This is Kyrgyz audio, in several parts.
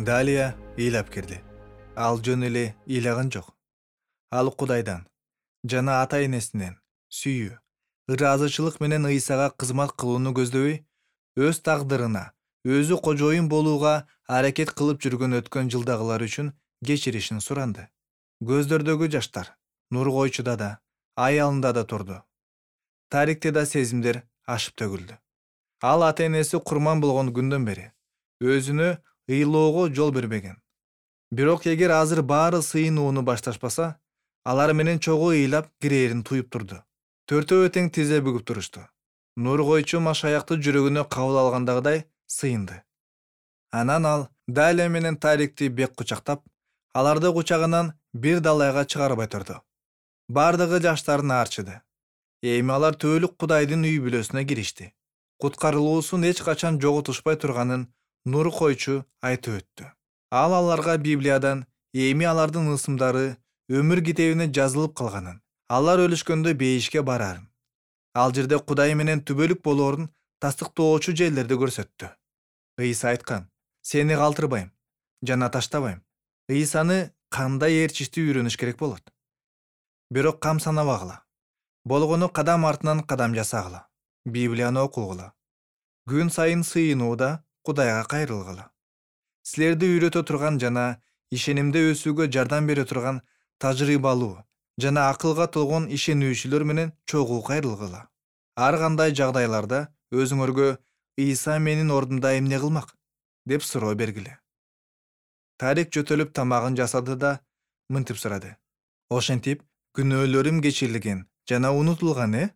Далия ыйлап кирди. Ал жөн эле ыйлаган жок. Ал Кудайдан жана ата энесинен сүйүү, ыраазычылык менен Ыйсага кызмат кылууну көздөбөй, өз тагдырына, өзү кожоюн болууга аракет кылып жүргөн өткөн жылдагылар үчүн кечиришин суранды. Көздөрдөгү жаштар Нургойчуда да, аялында да турду. Тарикте да сезимдер ашып төгүлдү. Ал ата энеси курман болгон күндөн бери өзүнө ыйлоого жол бербеген. Бирок эгер азыр баары сыйынууну башташпаса, алар менен чогуу ыйлап кирээрин туюп турду. Төртөө тең тизе бүгүп турушту. Нургойчу Машаякты жүрөгүнө кабыл алгандагыдай сыйынды. Анан ал Далия менен Тарикти бек кучактап, аларды кучагынан бир далайга чыгарбай турду. Бардыгы жаштарын аарчыды. Эми алар түбөлүк Кудайдын үй бүлөсүнө киришти. Куткарылуусун эч качан жоготушпай турганын Нургойчу айтып өттү. Ал аларга Библиядан эми алардын ысымдары өмүр китебине жазылып калганын, алар өлүшкөндө бейишке барарын, ал жерде Кудай менен түбөлүк болоорун тастыктоочу жерлерди көрсөттү. Ыйса айткан: "Сени калтырбайм жана таштабайм." Ыйсаны кандай ээрчиштүү үйрөнүш керек болот? Бирок кам санабагыла. Болгону кадам артынан кадам жасагыла. Библияны окугула. Күн сайын сыйынууда Кудайга кайрылгыла. Силерди үйрөтө турган жана ишенимде өсүүгө жардам бере турган тажрыйбалуу жана акылга толгон ишенүүчүлөр менен чогуу кайрылгыла. Ар кандай жагдайларда өзүңөргө "Ыйса менин ордумда эмне кылмак?" деп суроо бергиле. Тарик жөтөлүп тамагын жасады да мынтип сурады: "Ошентип, күнөөлөрүм кечирилген жана унутулган,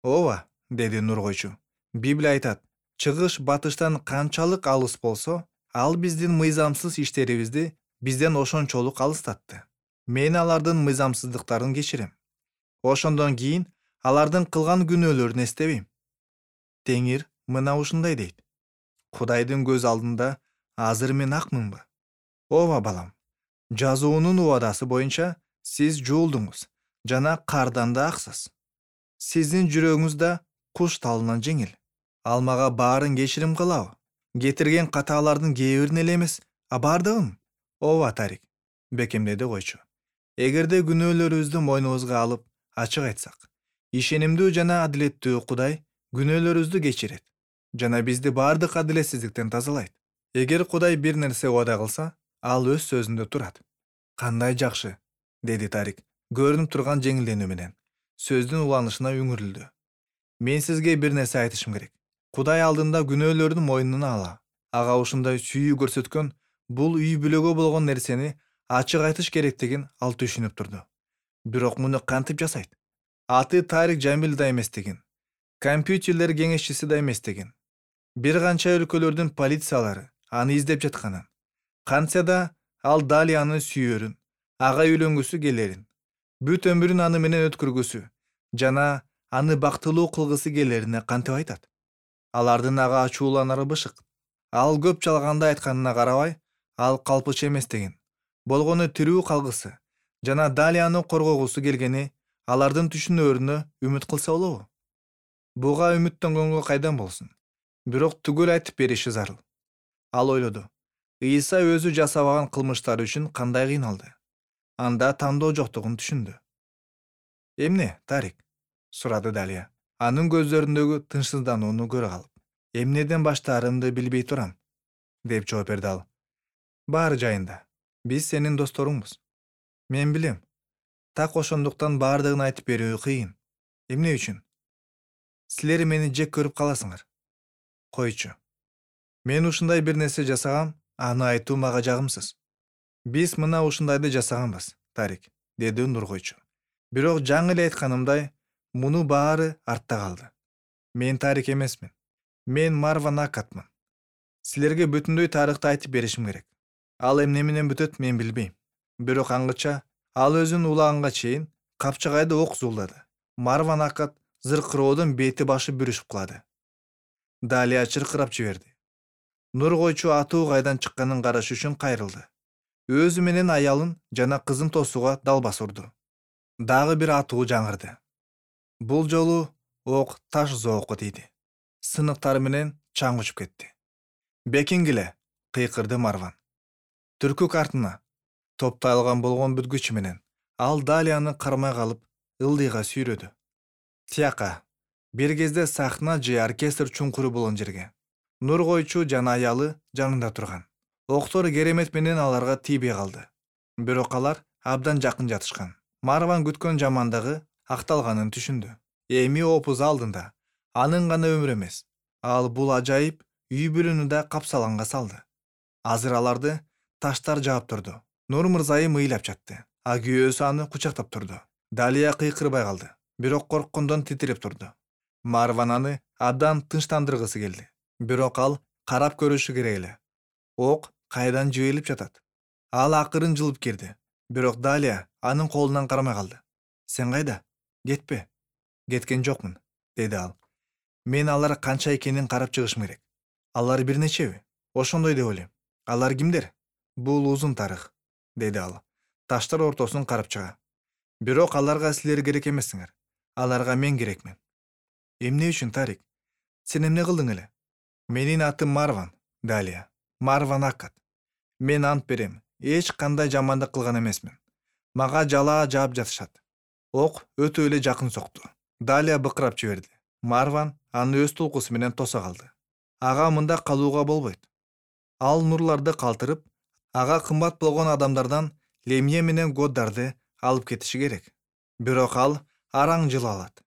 Ооба, деди Нургойчу. Библия айтат: "Чыгыш батыштан канчалык алыс болсо, ал биздин мыйзамсыз иштерибизди бизден ошончолук алыстатты. Мен алардын мыйзамсыздыктарын кечирем. Ошондон кийин алардын кылган күнөөлөрүн эстебейм." Теңир мына ушундай дейт: "Кудайдын көз алдында азыр мен акмынбы? Ооба балам, жазуунун убадасы боюнча сиз жуулдуңуз жана кардан да аксыз. Сиздин жүрөгүңүз да куш талынан жеңил. Ал мага баарын кечирим кылабы? Кетирген катаалардын кээ бирин эле эмес, а бардыгын?" "Ооба, Тарик", бекемдеди койчу. "Эгерде күнөөлөрүбүздү мойнубузга алып, ачык айтсак, ишенимдүү жана адилеттүү Кудай күнөөлөрүбүздү кечирет жана бизди бардык адилетсиздиктен тазалайт. Эгер Кудай бир нерсе убада кылса, ал өз сөзүндө турат." "Кандай жакшы", деди Тарик, көрүнүп турган жеңилденүү менен. Сөздүн уланышына үңүрүлдү. "Мен сизге бир нерсе айтышым керек. Кудай алдында күнөөлөрдүн мойнуна ала. Ага ушундай сүйүү көрсөткөн бул үй бүлөгө болгон нерсени ачык айтыш керектигин ал түшүнүп турду. Бирок муну кантип жасайт? Аты Тарик Жамил да эместигин, компьютерлер кеңешчиси да эместигин, бир канча өлкөлөрдүн полициялары аны издеп жатканын, кантсе да ал Далияны сүйөрүн, ага үйлөнгүсү келерин, бүт өмүрүн аны менен өткөргүсү жана аны бактылуу кылгысы келерине кантип айтат? Алардын ага ачууланары бышык. Ал көп жалганды айтканына карабай, ал калпычы эместигин, болгону тирүү калгысы жана Далияны коргогусу келгени алардын түшүнөөрүнө үмүт кылса болобу? Буга үмүттөнгөнгө кайдан болсун? Бирок түгөл айтып бериши зарыл." Ал ойлоду. Ыйса өзү жасабаган кылмыштары үчүн кандай кыйналды. Анда тандоо жоктугун түшүндү. "Эмне, Тарик?" сурады Далия, анын көздөрүндөгү тынчсызданууну көрө калып. "Эмнеден баштаарымды билбей турам", деп жооп берди ал. "Баары жайында. Биз сенин досторуңбуз. Мен билем. Так ошондуктан баардыгын айтып берүү кыйын. Эмне үчүн? Силер мени жек көрүп каласыңар. Койчу. Мен ушундай бир нерсе жасагам, аны айтуу мага жагымсыз." "Биз мына ушундайды жасаганбыз, Тарик", деди Нургойчу. "Бирок жаңы эле айтканымдай, муну баары артта калды. Мен Тарик эмесмин. Мен Марван Акатмын. Силерге бүтүндөй тарыхты айтып беришим керек. Ал эмне менен бүтөт мен билбейм. Бирок аңгыча ал өзүн улаганга чейин Капчыгайды ок зулдады. Марван Акат зыркыроодон бети башы бүрүшүп кулады." Далия чыркырап жиберди. Нургойчу атуу кайдан чыкканын караш үчүн кайрылды. Өзү менен аялын жана кызын тосууга далбаса урду. Дагы бир атуу жаңырды. Бул жолу ок таш зоокко тийди. Сыныктар менен чаң учуп кетти. "Бекиңгиле", кыйкырды Марван. түркүк артына топталган болгон бүткүчү менен ал Далияны кармай калып ылдыйга сүйрөдү. Тияка бир кезде сахна же оркестр чуңкуру болгон жерге нур койчу жана аялы жанында турган. Октор керемет менен аларга тийбей калды. Бирок алар абдан жакын жатышкан. Марван күткөн жамандыгы акталганын түшүндү. Эми опуз алдында анын гана өмүрү эмес, ал бул ажайып үй бүлөнү да капсаланга салды. Азыр аларды таштар жаап турду. Нур мырзайым ыйлап жатты. А күйөөсү аны кучактап турду. Далия кыйкырбай калды, бирок корккондон титиреп турду. Марван аны абдан тынчтандыргысы келди. Бирок ал карап көрүшү керек эле. Ок кайдан жиберилип жатат. Ал акырын жылып кирди. Бирок Далия анын колунан кармай калды. Сен кайда? Кетпе. Кеткен жокмун, деди ал. Мен алар канча экенин карап чыгышым керек. Алар бир нечеби? Ошондой деп ойлойм. Алар кимдер? Бул узун тарых, деди ал. Таштар ортосун карап чыга. Бирок аларга силер керек эмессиңер. Аларга мен керекмин. Эмне үчүн, Тарик? Сен эмне кылдың эле? Менин атым Марван, Далия. Марван Акат. Мен ант берем, эч кандай жамандык кылган эмесмин. Мага жалаа жаап жатышат. Ок өтө эле жакын сокту. Далия быкырап жиберди. Марван аны өз тулкусу менен тоса калды. Ага мында калууга болбойт. Ал нурларды калтырып, ага кымбат болгон адамдардан Лемье менен Годдарды алып кетиши керек. Бирок ал араң жыла алат.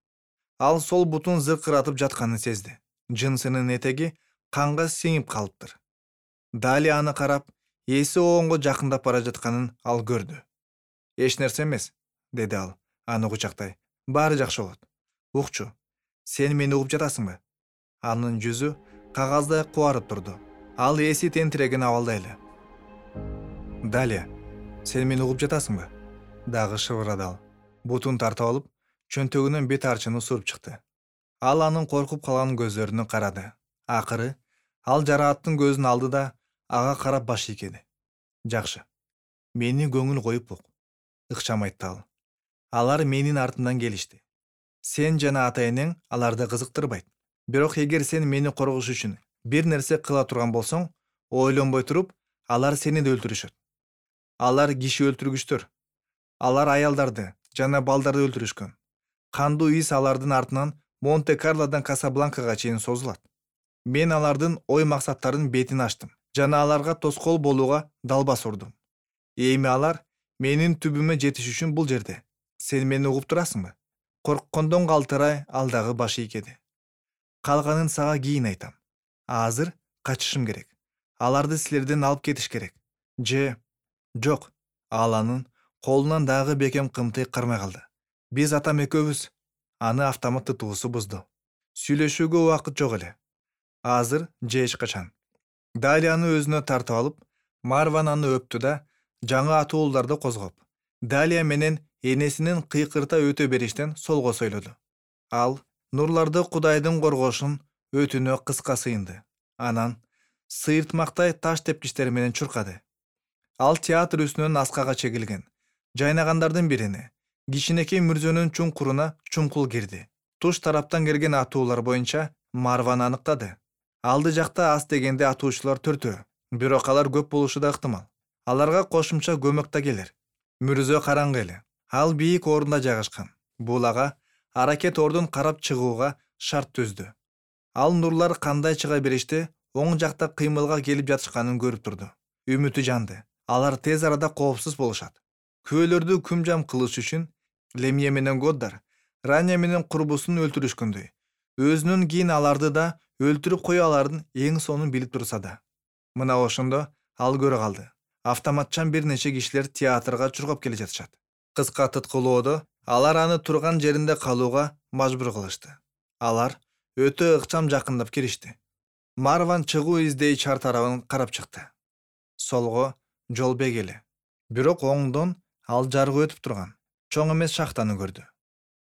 Ал сол бутун зыркыратып жатканын сезди. Жынсынын этеги канга сиңип калыптыр. Далия аны карап, эси оңго жакындап бара жатканын ал көрдү. Эч нерсе эмес, деди ал, аны кучактай. Баары жакшы болот. Укчу, сен мени угуп жатасыңбы? Анын жүзү кагаздай кубарып турду. Ал эси тентиреген абалда эле. Далия, сен мени угуп жатасыңбы? Дагы шыбырады ал. Бутун тартып алып, чөнтөгүнөн бет арчыны суруп чыкты. Ал анын коркуп калган көздөрүнө карады. Акыры ал жарааттын көзүн алды да ага карап баш ийкеди. Жакшы. Мени көңүл коюп ук, ыкчам айтты ал. Алар менин артымдан келишти. Сен жана ата-энең аларды кызыктырбайт. Бирок эгер сен мени коргош үчүн бир нерсе кыла турган болсоң, ойлонбой туруп, алар сени да өлтүрүшөт. Алар киши өлтүргүчтөр. Алар аялдарды жана балдарды өлтүрүшкөн. Кандуу ис алардын артынан Монте-Карлодан Касабланкага чейин созулат. Мен алардын ой максаттарын бетин ачтым жана аларга тоскоол болууга далбас урдум. Эми алар менин түбүмө жетиш үчүн бул жерде. Сен мени угуп турасыңбы? Корккондон калтырай ал дагы баш ийкеди. Калганын сага кийин айтам. Азыр качышым керек. Аларды силерден алып кетиш керек. Жок. Ал анын колунан дагы бекем кымтый кармай калды. Биз атам экөөбүз. Аны автомат тутуусу бузду. Сүйлөшүүгө убакыт жок эле. Азыр же эч качан. Далияны өзүнө тартып алып, Марван аны өптү да жаңы атууларды козгоп, Далия менен энесинин кыйкырта өтө бериштен солго сойлоду. Ал нурларды Кудайдын коргошун өтүнө кыска сыйынды. Анан сыйыртмактай таш тепкичтер менен чуркады. Ал театр үстүнөн аскага чегилген жайнагандардын бирине, кичинекей мүрзөнүн чуңкуруна чумкул кирди. Туш тараптан келген атуулар боюнча Марван аныктады. Алды жакта аз дегенде атуучулар төртөө, бирок алар көп болушу да ыктымал. Аларга кошумча көмөк да келер. Мүрзө караңгы эле. Ал бийик орунда жайгашкан. Бул ага аракет ордун карап чыгууга шарт түздү. Ал нурлар кандай чыга беришти, оң жакта кыймылга келип жатышканын көрүп турду. Үмүтү жанды. Алар тез арада коопсуз болушат. Күбөлөрдү күмжам кылыш үчүн Лемье менен Годдар Раня менен курбусун өлтүрүшкөндөй. Өзүнөн кийин аларды да өлтүрүп кое аларын эң сонун билип турса да. Мына ошондо ал көрө калды. Автоматчан бир нече кишилер театрга чургап келе жатышат. Кыска тыткылоодо алар аны турган жеринде калууга мажбур кылышты. Алар өтө ыкчам жакындап киришти. Марван чыгуу издей чар тарабын карап чыкты. Солго жол бек эле. Бирок оңдон ал жаргы өтүп турган чоң эмес шахтаны көрдү.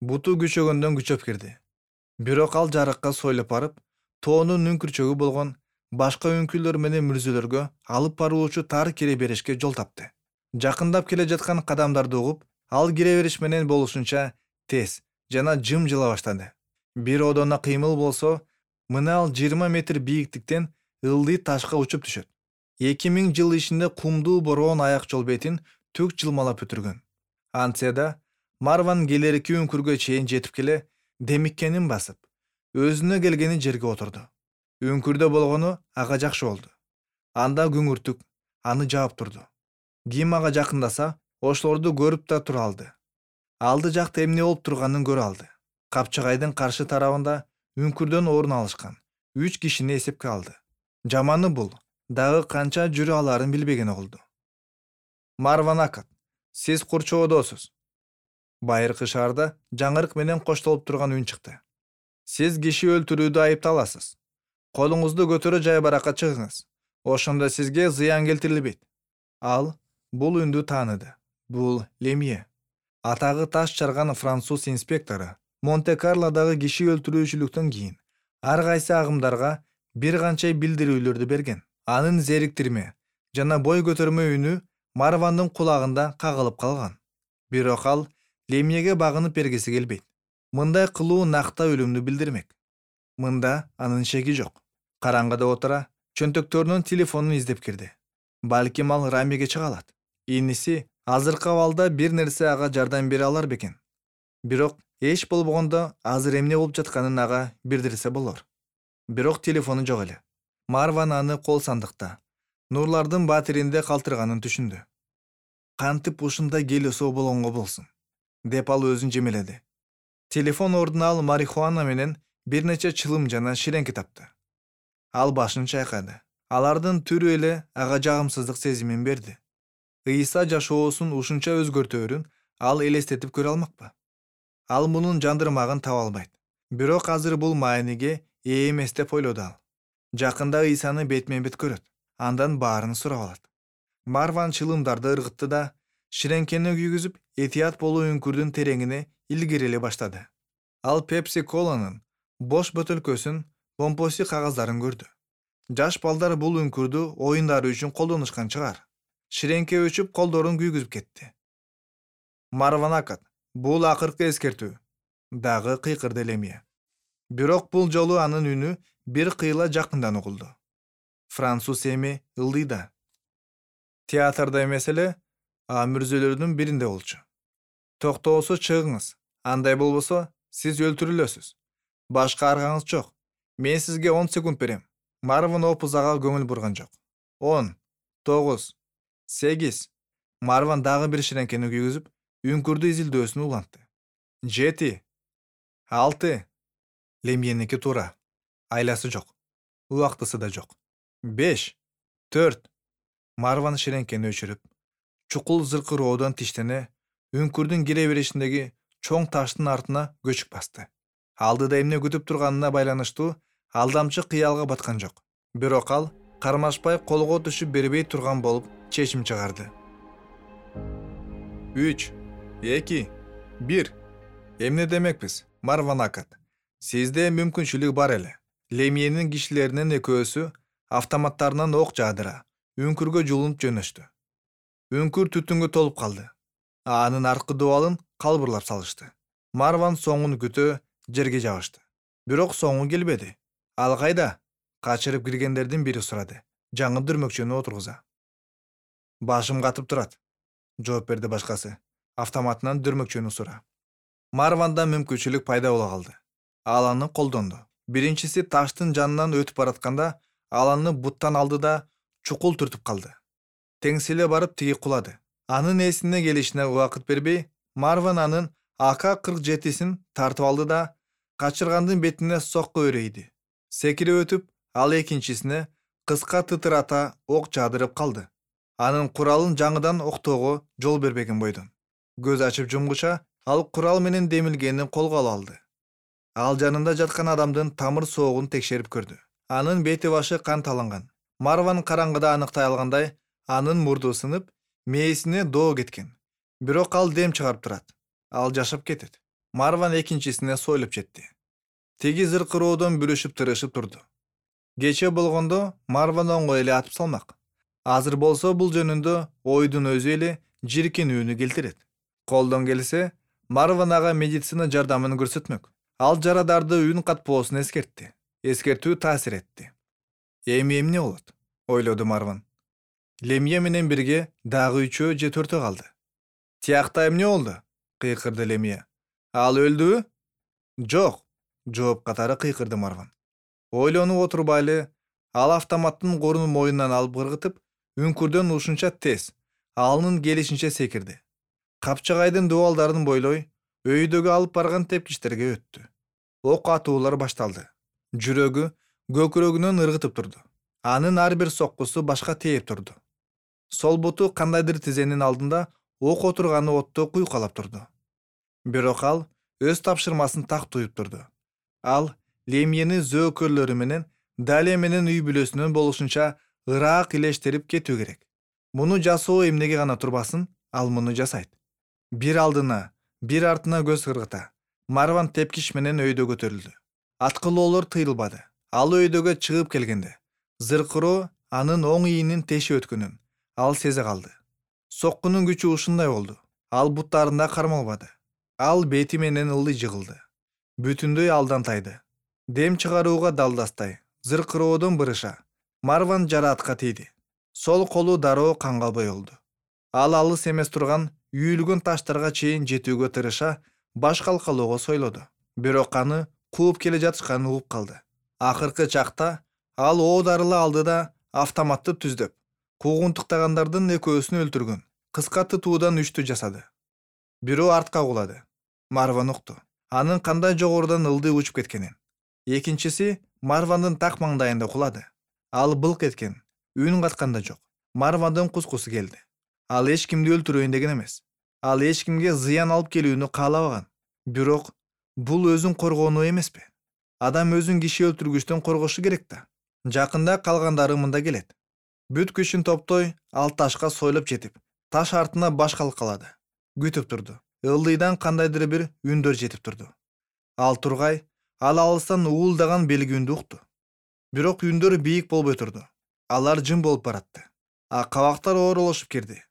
Буту күчөгөндөн күчөп кирди. Бирок ал жарыкка сойлоп барып, тоонун үңкүрчөгү болгон башка үңкүрлөр менен мүрзөлөргө алып баруучу тар кире беришке жол тапты. Жакындап келе жаткан кадамдарды угуп, ал кире бериш менен болушунча тез жана жым жыла баштады. Бир одоно кыймыл болсо, мына ал 20 метр бийиктиктен ылдый ташка учуп түшөт. 2000 жыл ичинде кумдуу бороон аяк жол бетин түк жылмалап өтүргөн. Антсе да Марван келерки үңкүргө чейин жетип келе демиккенин басып, өзүнө келгени жерге отурду. Үңкүрдө болгону ага жакшы болду. Анда күңүртүк аны жаап турду. Ким ага жакындаса, ошолорду көрүп да тура алды. Алды жакта эмне болуп турганын көрө алды. Капчыгайдын каршы тарабында үңкүрдөн орун алышкан 3 кишини эсепке алды. Жаманы бул дагы канча жүрө аларын билбеген болду. Марван Акат, сиз курчоодосуз. Байыркы шаарда жаңырык менен коштолуп турган үн чыкты. Сиз киши өлтүрүүдө айыпталасыз. Колуңузду көтөрө жайбаракка чыгыңыз. Ошондо сизге зыян келтирилбейт. Ал бул үндү тааныды. Бул Лемье. Атагы таш чарган француз инспектору Монте-Карлодагы киши өлтүрүүчүлүктөн кийин ар кайсы агымдарга бир канча билдирүүлөрдү берген. Анын зериктирме жана бой көтөрмө үнү Марвандын кулагында кагылып калган. Бирок ал Лемьеге багынып бергиси келбейт. Мындай кылуу накта өлүмдү билдирмек. Мында анын шеги жок. Караңгыда отура, чөнтөктөрүнүн телефонун издеп кирди. Балким ал Рамиге чыга алат. Иниси азыркы абалда бир нерсе ага жардам бере алар бекен. Бирок эч болбогондо азыр эмне болуп жатканын ага билдирсе болор. Бирок телефону жок эле. Марван аны кол сандыкта, нурлардын батиринде калтырганын түшүндү. Кантип ушундай келесоо болгонго болсун, деп ал өзүн жемеледи. Телефон ордуна ал марихуана менен бир нече чылым жана ширеңки тапты. Ал башын чайкады. Алардын түрү эле ага жагымсыздык сезимин берди. Ыйса жашоосун ушунча өзгөртөөрүн ал элестетип көрө алмакпы? Ал мунун жандырмагын таба албайт. Бирок азыр бул мааниге ээ эмес деп ойлоду ал. Жакында Ыйсаны бетме бет көрөт. Андан баарын сурап алат. Марван чылымдарды ыргытты да, ширеңкени күйгүзүп, этият болуу үңкүрдүн тереңине илгериле баштады. Ал Пепси Коланын бош бөтөлкөсүн, помпоси кагаздарын көрдү. Жаш балдар бул үңкүрдү оюндары үчүн колдонушкан чыгар. Ширеңке өчүп, колдорун күйгүзүп кетти. Марван Акат, бул акыркы эскертүү. Дагы кыйкырды Лемье. Бирок бул жолу анын үнү бир кыйла жакындан угулду. Француз эми ылдыйда. Театрда эмес эле, мүрзөлөрдүн биринде болчу. Токтоосо чыгыңыз. Андай болбосо, сиз өлтүрүлөсүз. Башка аргаңыз жок. Мен сизге 10 секунд берем. Марван опузага көңүл бурган жок. 10, 9, 8. Марван дагы бир ширеңкени күйгүзүп, үңкүрдү изилдөөсүн улантты. 7, 6. Лемьеники туура. Айласы жок. Убактысы да жок. 5, 4. Марван ширеңкени өчүрүп, чукул зыркыроодон тиштене, үңкүрдүн кире беришиндеги чоң таштын артына көчүк басты. Алдыда эмне күтүп турганына байланыштуу алдамчы кыялга баткан жок. Бирок ал кармашпай колго түшүп бербей турган болуп чечим чыгарды. 3, 2, 1. Эмне демекпиз, Марван Акат? Сизде мүмкүнчүлүк бар эле. Лемьенин кишилеринин экөөсү автоматтарынан ок жаадыра, үңкүргө жулунуп жөнөштү. Үңкүр түтүнгө толуп калды. Анын аркы дубалын калбырлап салышты. Марван соңун күтө жерге жабышты. Бирок соңу келбеди. Ал кайда? Качырып киргендердин бири сурады. Жаңы дүрмөкчөнү отургуза. Башым катып турат, жооп берди башкасы. Автоматынан дүрмөкчөнү сура. Марванда мүмкүнчүлүк пайда боло калды. Ал аны колдонду. Биринчиси таштын жанынан өтүп баратканда, ал аны буттан алды да чукул түртүп калды. Теңселе барып тиги кулады. Анын эсине келишине убакыт бербей, Марван анын АК-47син тартып алды да качыргандын бетине сокко өрөйдү. Секирип өтүп, ал экинчисине кыска тытырата ок жаадырып калды. Анын куралын жаңыдан октоого жол бербеген бойдон. Көз ачып жумгуча, ал курал менен демилгенин колго ала алды. Ал жанында жаткан адамдын тамыр соогун текшерип көрдү. Анын бети башы кан таланган. Марван караңгыда аныктай алгандай, анын мурду сынып, мээсине доо кеткен. Бирок ал дем чыгарып турат. Ал жашап кетет. Марван экинчисине сойлуп жетти. Тиги зыркыроодон бүрүшүп тырышып турду. Кече болгондо Марван оңой эле атып салмак. Азыр болсо бул жөнүндө ойдун өзү эле жиркенүүнү келтирет. Колдон келсе, Марван ага медицина жардамын көрсөтмөк. Ал жарадарды үн катпоосун эскертти. Эскертүү таасир этти. Эми эмне болот? Ойлоду Марван. Лемье менен бирге дагы 3 же 4 калды. Тиякта эмне болду? Кыйкырды Лемье. Ал өлдүбү? Жок, жооп катары кыйкырды Марван. Ойлонуп отурбайлы, ал автоматтын корунун мойнунан алып кыргытып, үңкүрдөн ушунча тез, алынын келишинче секирди. Капчагайдын дубалдарын бойлой, өйдөгө алып барган тепкичтерге өттү. Ок атуулар башталды. Жүрөгү көкүрөгүнөн ыргытып турду. Анын ар бир соккусу башка тээп турду. Сол буту кандайдыр тизенин алдында ок отурганы отто куйкалап турду. Бирок ал өз тапшырмасын так туюп турду. Ал Лемьени зөөкөрлөрү менен Далия менен үй бүлөсүнөн болушунча ыраак илештирип кетүү керек. Муну жасоо эмнеге гана турбасын, ал муну жасайт. Бир алдына, бир артына көз кыргыта. Марван тепкич менен өйдөгө көтөрүлдү. Аткылоолор тыйылбады. Ал өйдөгө чыгып келгенде, зыркыроо анын оң ийинин тешип өткөнүн ал сезе калды. Соккунун күчү ушундай болду. Ал буттарында кармалбады. Ал бети менен ылдый жыгылды. Бүтүндөй алдан тайды. Дем чыгарууга далдастай, зыркыроодон бырыша. Марван жараатка тийди. Сол колу дароо канга боелду. Ал алыс эмес турган үйүлгөн таштарга чейин жетүүгө тырыша, баш калкалоого сойлоду. Бирок аны кууп келе жатышканын угуп калды. Акыркы чакта ал оодарыла алды да автоматты түздөп, куугунтуктагандардын экөөсүн өлтүргөн. Кыска тытуудан 3-тү жасады. Бирөө артка кулады. Марван укту. Анын кандай жогорудан ылдый учуп кеткенин. Экинчиси Марвандын так маңдайында кулады. Ал былк эткен, үн катканда жок. Марвандын кускусу келди. Ал эч кимди өлтүрөйүн деген эмес. Ал эч кимге зыян алып келүүнү каалабаган. Бирок бул өзүн коргонуу эмеспи? Адам өзүн киши өлтүргүчтөн коргошу керек да. Жакында калгандары мында келет. Бүт күчүн топтой, ал ташка сойлоп жетип, таш артына баш калкалады. Күтүп турду. Ылдыйдан кандайдыр бир үндөр жетип турду. Ал тургай, ал алыстан уулдаган белги үндү укту. Бирок үндөр бийик болбой турду. Алар жым болуп баратты. Кабактар ооролошуп кирди.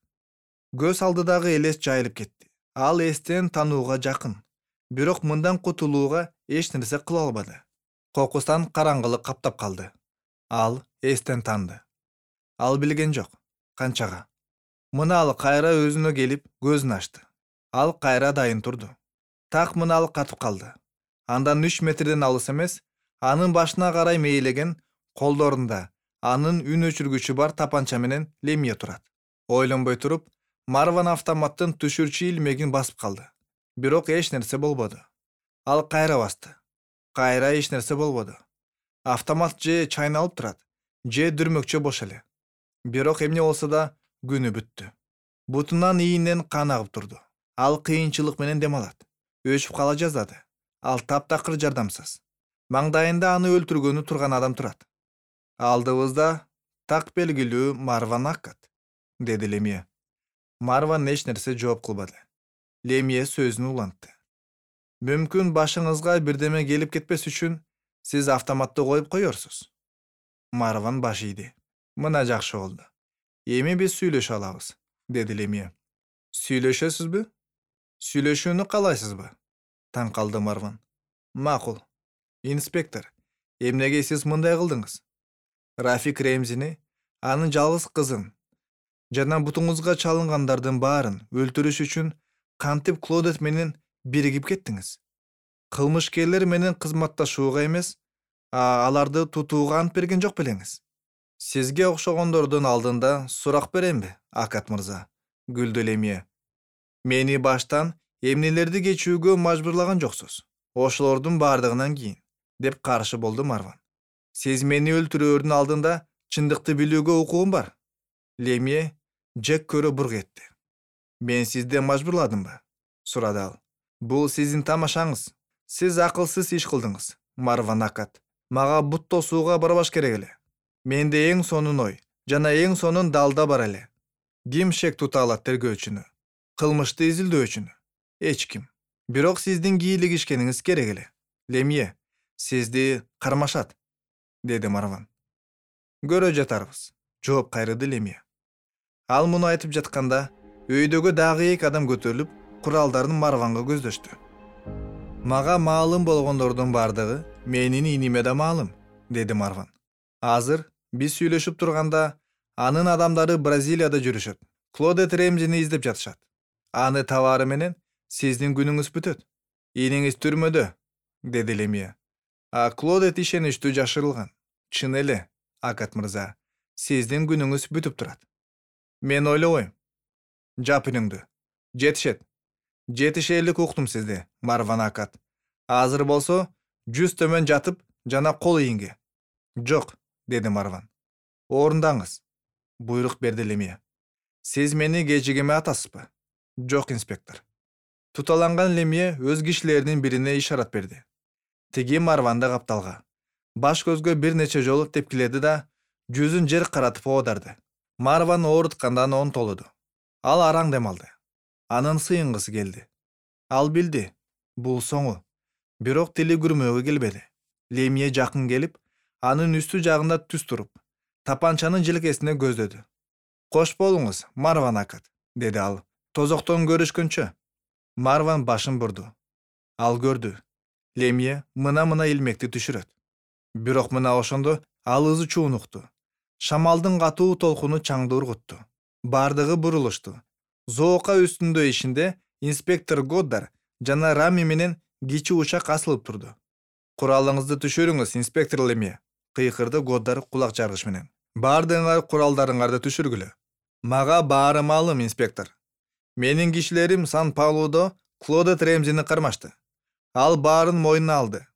Көз алдыдагы элес жайылып кетти. Ал эстен танууга жакын. Бирок мындан кутулууга эч нерсе кыла албады. Кокустан караңгылык каптап калды. Ал эстен танды. Ал билген жок. Канчага. Мына ал кайра өзүнө келип, көзүн ачты. Ал кайра дайын турду. Так мына ал катып калды. Андан 3 метрден алыс эмес, анын башына карай мейлеген, колдорунда анын үн өчүргүчү бар тапанча менен Лемье турат. Ойлонбой туруп, Марван автоматтын түшүрчү илмегин басып калды. Бирок эч нерсе болбоду. Ал кайра басты. Кайра эч нерсе болбоду. Автомат же чайналып турат, же дүрмөкчө бош эле. Бирок эмне болсо да күнү бүттү. Бутунан ийинен кан агып турду. Ал кыйынчылык менен дем алат. Өчүп кала жаздады. Ал таптакыр жардамсыз. Маңдайында аны өлтүргөнү турган адам турат. Алдыбызда так белгилүү Марван Аккат, деди Лемье. Марван эч нерсе жооп кылбады. Лемье сөзүн улантты. Мүмкүн башыңызга бирдеме келип кетпес үчүн сиз автоматты коюп коерсуз. Марван баш ийди. Мына жакшы болду. Эми биз сүйлөшө алабыз, деди Лемье. Сүйлөшөсүзбү? Сүйлөшүүнү каалайсызбы? Таң калды Марван. Макул. Инспектор, эмнеге сиз мындай кылдыңыз? Рафик Ремзини, анын жалгыз кызын жана бутуңузга чалынгандардын баарын өлтүрүш үчүн кантип Клодет менен биригип кеттиңиз? Кылмышкерлер менен кызматташууга эмес, аларды тутууга ант берген жок белеңиз? Сизге окшогондордун алдында сурак беремби, Акат мырза? Күлдү Лемье. Мени баштан эмнелерди кечүүгө мажбурлаган жоксуз. Ошолордун бардыгынан кийин, деп каршы болду Марван. Сиз мени өлтүрөөрдүн алдында чындыкты билүүгө укугум бар. Лемье жек көрө бург этти. Мен сизди мажбурладымбы? Сурады ал. Бул сиздин тамашаңыз. Сиз акылсыз иш кылдыңыз, Марван Акат. Мага бут тосууга барбаш керек эле. Менде эң сонун ой жана эң сонун далда бар эле. Ким шек тута алат тергөөчүнү? Кылмышты изилдөөчүнү? Эч ким. Бирок сиздин кийлигишкениңиз керек эле. Лемье, сизди кармашат, деди Марван. Көрө жатарбыз, жооп кайрыды Лемье. Ал муну айтып жатканда, өйдөгө дагы 2 адам көтөрүлүп, куралдарын Марванга көздөштү. Мага маалым болгондордун бардыгы менин иниме да маалым, деди Марван. Азыр биз сүйлөшүп турганда, Анын адамдары Бразилияда жүрүшөт. Клодет Ремзини издеп жатышат. Аны табаары менен сиздин күнүңүз бүтөт. Ийниңиз түрмөдө, деди Лемье. Клодет ишеничтүү жашырылган. Чын эле, Акат мырза, сиздин күнүңүз бүтүп турат. Мен ойлобойм. Жап үнүңдү. Жетишет. Жетишээлик уктум сизди, Марван Акат. Азыр болсо 100 төмөн жатып жана кол ийинге. Жок, деди Марван. Орундаңыз. Буйрук берди Лемье. Сиз мени кечигеме атасызбы? Жок, инспектор. Туталанган Лемье өз кишилеринин бирине ишарат берди. Тиги Марванды капталга. Баш көзгө бир нече жолу тепкиледи да, жүзүн жер каратып оодарды. Марван ооруткандан онтолуду. Ал араң дем алды. Анын сыйынгысы келди. Ал билди, бул соңу. Бирок тили күрмөөгө келбеди. Лемье жакын келип, анын үстү жагында түз туруп, тапанчанын желкесине көздөдү. Кош болуңуз, Марван Акат, деди ал. Тозоктон көрүшкөнчө. Марван башын бурду. Ал көрдү. Лемье мына илмекти түшүрөт. Бирок мына ошондо ал ызы чуун укту. Шамалдын катуу толкуну чаңды ургутту. Бардыгы бурулушту. Зоока үстүндө ишинде инспектор Годдар жана Рами менен кичи учак асылып турду. Куралыңызды түшүрүңүз, инспектор Лемье, кыйкырды Годдар кулак жаргыч менен. Бардыгыңар куралдарыңарды түшүргүлө. Мага баары маалым, инспектор. Менин кишилерим Сан-Паулудо Клодет Ремзини кармашты. Ал баарын мойнуна алды.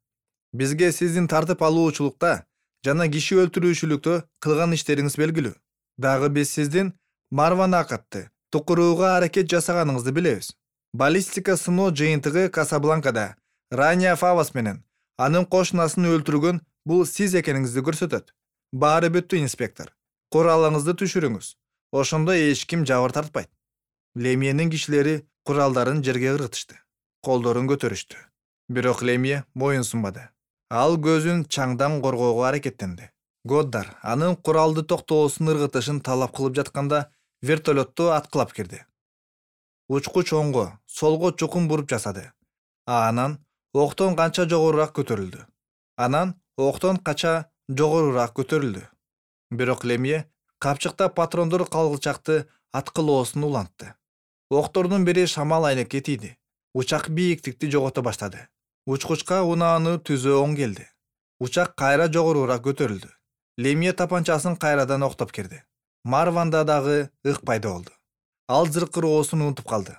Бизге сиздин тартып алуучулукта жана киши өлтүрүүчүлүктө кылган иштериңиз белгилүү. Дагы биз сиздин Марван Акатты тукурууга аракет жасаганыңызды билебиз. Баллистика сыноо жыйынтыгы Касабланкада Рания Фавас менен анын кошунасын өлтүргөн бул сиз экениңизди көрсөтөт. Баары бүттү, инспектор. Куралыңызды түшүрүңүз. Ошондо эч ким жабыр тартпайт. Лемьенин кишилери куралдарын жерге ыргытышты. Колдорун көтөрүштү. Бирок Лемье моюн сунбады. Ал көзүн чаңдан коргоого аракеттенди. Годдар анын куралды токтоосун ыргытышын талап кылып жатканда вертолетту аткылап кирди. Учкуч оңго, солго чукун буруп жасады. Анан октон канча жогорураак көтөрүлдү. Бирок Лемье капчыкта патрондор калгылчакты аткылоосун улантты. Октордун бири шамал айнекке тийди. Учак бийиктикти жогото баштады. Учкучка унааны түзөө оң келди. Учак кайра жогорураак көтөрүлдү. Лемье тапанчасын кайрадан октоп кирди. Марванда дагы ык пайда болду. Ал зыркыроосун унутуп калды.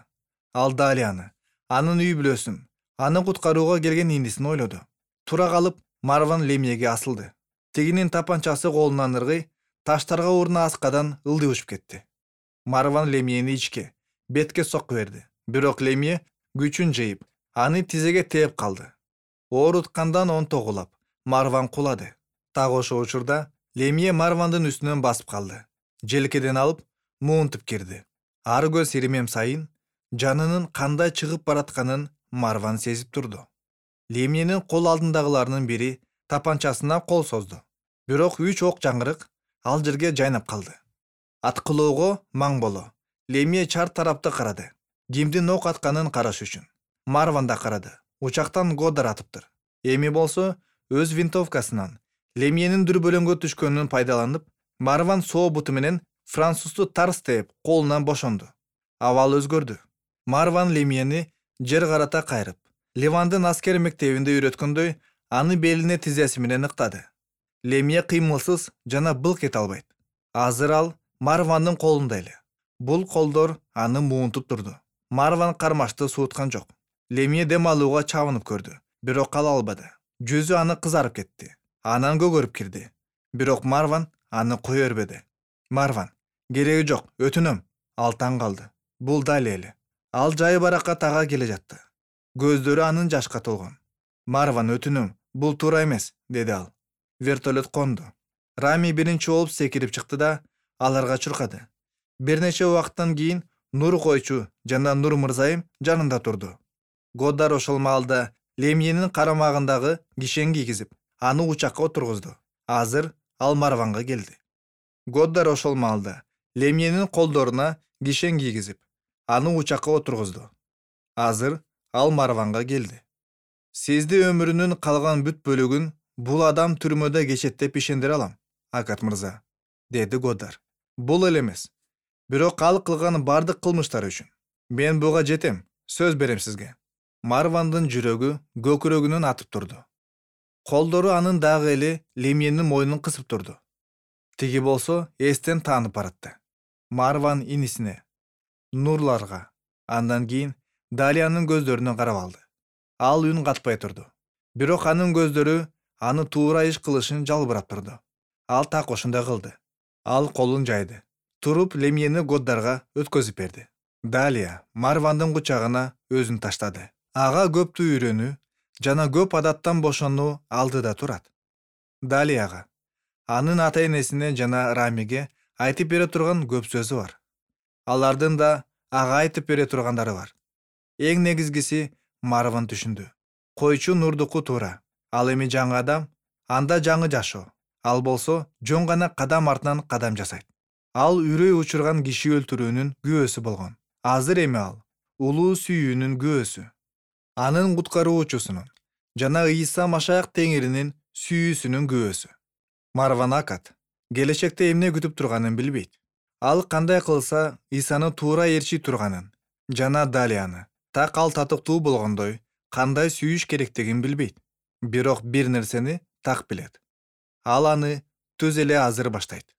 Ал Далияны, анын үй бүлөсүн, аны куткарууга келген инисин ойлоду. Тура калып, Марван Лемьеге асылды. Тигинин тапанчасы колунан ыргый, таштарга уруна аскадан ылдый учуп кетти. Марван Лемьени ичке, бетке сокку берди. Бирок Лемье күчүн жыйып, аны тизеге тээп калды. Ооруткандан онтогулап, Марван кулады. Так ошол учурда Лемье Марвандын үстүнөн басып калды. Желкеден алып, муунтуп кирди. Ар көз иримем сайын жанынын кандай чыгып баратканын Марван сезип турду. Лемьенин кол алдындагыларынын бири тапанчасына кол созду. Бирок 3 ок жаңгырык ал жерге жайнап калды. Аткылоого маң боло. Лемье чар тарапты карады. Кимдин ок атканын караш үчүн. Марван да карады. Учактан Годдар атыптыр. Эми болсо өз винтовкасынан Лемьенин дүрбөлөңгө түшкөнүн пайдаланып, Марван соо буту менен французду тарс тээп колунан бошонду. Абал өзгөрдү. Марван Лемьени жер карата кайрып, Ливандын аскер мектебинде үйрөткөндөй, аны белине тизеси менен ыктады. Лемье кыймылсыз жана былк эте албайт. Азыр ал Марвандын колунда эле. Бул колдор аны муунтуп турду. Марван кармашты сууткан жок. Лемье дем алууга чабынып көрдү, бирок кала албады. Жүзү аны кызарып кетти. Анан көгөрүп кирди. Бирок Марван аны кое бербеди. Марван, кереги жок, өтүнөм. Ал таң калды. Бул дали эле. Ал жай баракка тага келе жатты. Көздөрү анын жашка толгон. Марван, өтүнөм, бул туура эмес, деди ал. Вертолет конду. Рами биринчи болуп секирип чыкты да аларга чуркады. Бир нече убакыттан кийин Нур койчу жана Нур мырзайым жанында турду. Годдар ошол маалда Лемьенин карамагындагы кишен кийгизип, аны учакка отургузду. Азыр ал Марванга келди. Годдар ошол маалда Лемьенин колдоруна кишен кийгизип, аны учакка отургузду. Азыр ал Марванга келди. Сизди өмүрүнүн калган бүт бөлүгүн бул адам түрмөдө кечет деп ишендире алам, Акат мырза, деди Годдар. Бул эле эмес. Бирок ал кылган бардык кылмыштары үчүн мен буга жетем, сөз берем сизге. Марвандын жүрөгү көкүрөгүнөн атып турду. Колдору анын дагы эле Лемьенин мойнун кысып турду. Тиги болсо эстен таанып баратты. Марван инисине, Нурларга, андан кийин Далиянын көздөрүнө карап алды. Ал үн катпай турду. Бирок анын көздөрү аны туура иш кылышын жалбырап турду. Ал так ошондой кылды. Ал колун жайды. Туруп Лемьени Годдарга өткөзүп берди. Далия Марвандын кучагына өзүн таштады. Ага көптү үйрөнүү жана көп адаттан бошонуу алдыда турат. Далияга, анын ата-энесине жана Рамиге айтып бере турган көп сөзү бар. Алардын да ага айтып бере тургандары бар. Эң негизгиси Марван түшүндү. Койчу Нурдуку туура. Ал эми жаңы адам, анда жаңы жашоо. Ал болсо жөн гана кадам артынан кадам жасайт. Ал үрөй учурган киши өлтүрүүнүн күбөсү болгон. Азыр эми ал улуу сүйүүнүн күбөсү. Анын куткаруучусунун жана Ыйса Машаяк Теңиринин сүйүүсүнүн күбөсү. Марван акат келечекте эмне күтүп турганын билбейт. Ал кандай кылса Ыйсаны туура ээрчий турганын жана Далияны так ал татыктуу болгондой кандай сүйүш керектигин билбейт. Бирок бир нерсени так билет. Ал аны түз эле азыр баштайт.